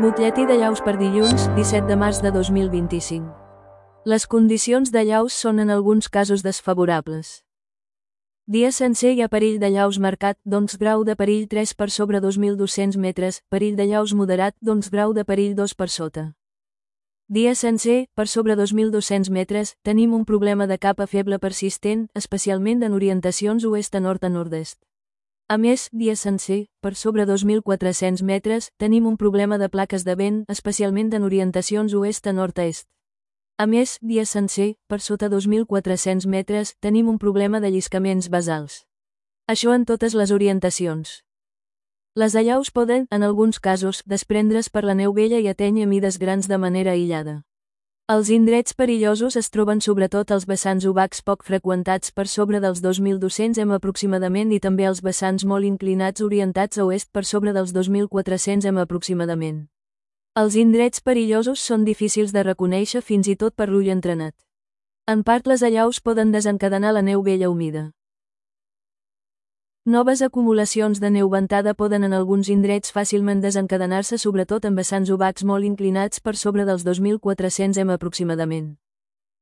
Butlletí de llaus per dilluns, 17 de març de 2025. Les condicions de llaus són en alguns casos desfavorables. Dia sencer hi ha perill de llaus marcat, doncs grau de perill 3 per sobre 2.200 metres, perill de llaus moderat, doncs grau de perill 2 per sota. Dia sencer, per sobre 2.200 metres, tenim un problema de capa feble persistent, especialment en orientacions oest a nord a nord-est. A més, dia sencer, per sobre 2.400 metres, tenim un problema de plaques de vent, especialment en orientacions oest a nord-est. A més, dia sencer, per sota 2.400 metres, tenim un problema de lliscaments basals. Això en totes les orientacions. Les allaus poden, en alguns casos, desprendre's per la neu vella i atènyer mides grans de manera aïllada. Els indrets perillosos es troben sobretot als vessants obacs poc freqüentats per sobre dels 2.200 m aproximadament i també als vessants molt inclinats orientats a oest per sobre dels 2.400 m aproximadament. Els indrets perillosos són difícils de reconèixer fins i tot per l'ull entrenat. En part les allaus poden desencadenar la neu vella humida. Noves acumulacions de neu ventada poden en alguns indrets fàcilment desencadenar-se sobretot en vessants obacs molt inclinats per sobre dels 2.400 m aproximadament.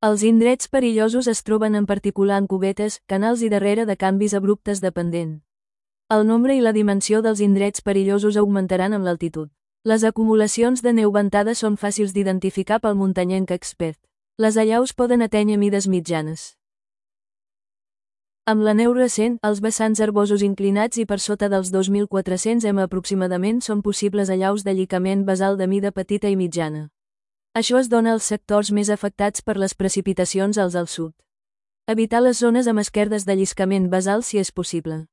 Els indrets perillosos es troben en particular en cubetes, canals i darrere de canvis abruptes de pendent. El nombre i la dimensió dels indrets perillosos augmentaran amb l'altitud. Les acumulacions de neu ventada són fàcils d'identificar pel muntanyenc expert. Les allaus poden atènyer mides mitjanes. Amb la neu recent, els vessants herbosos inclinats i per sota dels 2.400 m aproximadament són possibles allaus de llicament basal de mida petita i mitjana. Això es dona als sectors més afectats per les precipitacions als al sud. Evitar les zones amb esquerdes de lliscament basal si és possible.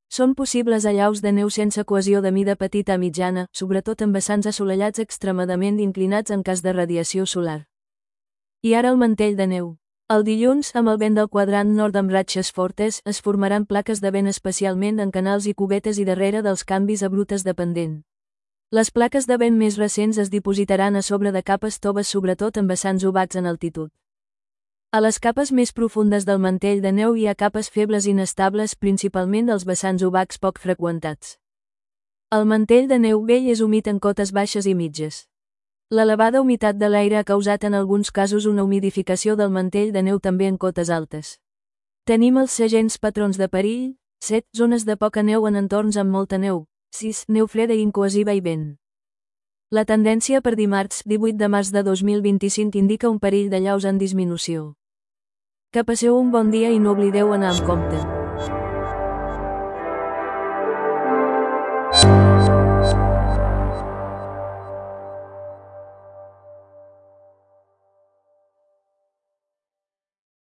Són possibles allaus de neu sense cohesió de mida petita a mitjana, sobretot en vessants assolellats extremadament inclinats en cas de radiació solar. I ara el mantell de neu. El dilluns, amb el vent del quadrant nord amb ratxes fortes, es formaran plaques de vent especialment en canals i cubetes i darrere dels canvis abruptes de pendent. Les plaques de vent més recents es dipositaran a sobre de capes toves sobretot en vessants obacs en altitud. A les capes més profundes del mantell de neu hi ha capes febles inestables principalment als vessants obacs poc freqüentats. El mantell de neu vell és humit en cotes baixes i mitges. L'elevada humitat de l'aire ha causat en alguns casos una humidificació del mantell de neu també en cotes altes. Tenim els segents patrons de perill: 7. Zones de poca neu en entorns amb molta neu. 6. Neu freda i incohesiva i vent. La tendència per dimarts, 18 de març de 2025 indica un perill de llaus en disminució. Que passeu un bon dia i no oblideu anar amb compte.